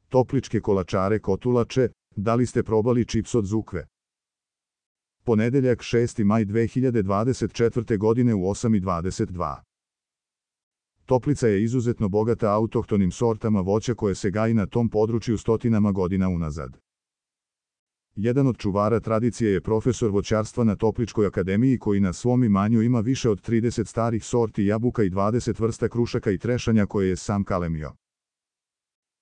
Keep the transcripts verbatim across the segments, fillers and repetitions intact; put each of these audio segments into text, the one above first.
Topličke kolačare Kotulače, da li ste probali čips od Zukve? Ponedeljak šesti maj dve hiljade dvadeset četvrte. godine u osam i dvadeset dva. Toplica je izuzetno bogata autohtonim sortama voća koje se gaji na tom području stotinama godina unazad. Jedan od čuvara tradicije je profesor voćarstva na Topličkoj akademiji koji na svom imanju ima više od trideset starih sorti jabuka i dvadeset vrsta krušaka i trešanja koje je sam kalemio.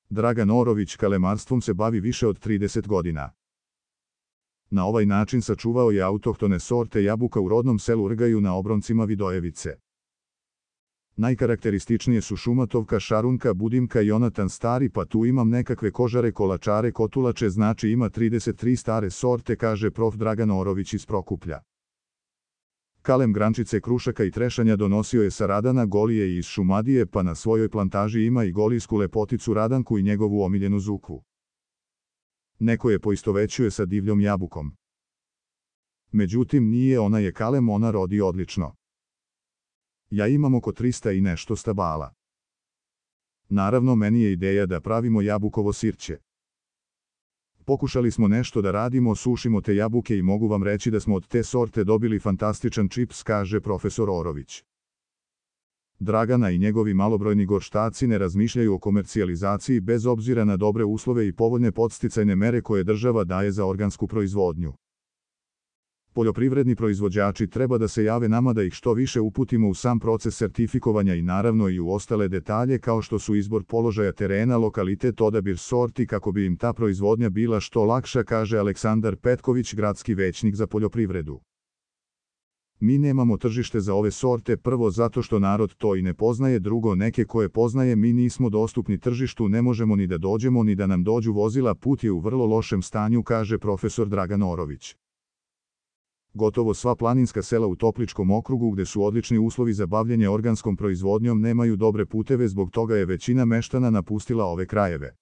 Dragan Orović kalemarstvom se bavi više od trideset godina. Na ovaj način sačuvao je autohtone sorte jabuka u rodnom selu Rgaju na obroncima Vidojevice. Najkarakterističnije su šumatovka, šarunka, budimka i onatan stari, pa tu imam nekakve kožare kolačare Kotulače, znači ima trideset tri stare sorte, kaže prof. Dragan Orović iz Prokuplja. Kalem grančice krušaka i trešanja donosio je sa Radana Golije i iz Šumadije, pa na svojoj plantaži ima i golijsku lepoticu Radanku i njegovu omiljenu Zukvu. Neko je poistovećuje sa divljom jabukom. Međutim, nije, ona je kalem, ona rodi odlično. Ja imam oko trista i nešto stabala. Naravno, meni je ideja da pravimo jabukovo sirće. Pokušali smo nešto da radimo, sušimo te jabuke i mogu vam reći da smo od te sorte dobili fantastičan čips, kaže profesor Orović. Dragana i njegovi malobrojni gorštaci ne razmišljaju o komercijalizaciji bez obzira na dobre uslove i povoljne podsticajne mere koje država daje za organsku proizvodnju. Poljoprivredni proizvođači treba da se jave nama da ih što više uputimo u sam proces sertifikovanja i naravno i u ostale detalje kao što su izbor položaja terena, lokalitet, odabir sorti kako bi im ta proizvodnja bila što lakša, kaže Aleksandar Petković, gradski većnik za poljoprivredu. Mi nemamo tržište za ove sorte, prvo zato što narod to i ne poznaje, drugo neke koje poznaje mi nismo dostupni tržištu, ne možemo ni da dođemo ni da nam dođu vozila, put je u vrlo lošem stanju, kaže profesor Dragan Orović. Gotovo sva planinska sela u Topličkom okrugu gde su odlični uslovi za bavljenje organskom proizvodnjom nemaju dobre puteve, zbog toga je većina meštana napustila ove krajeve.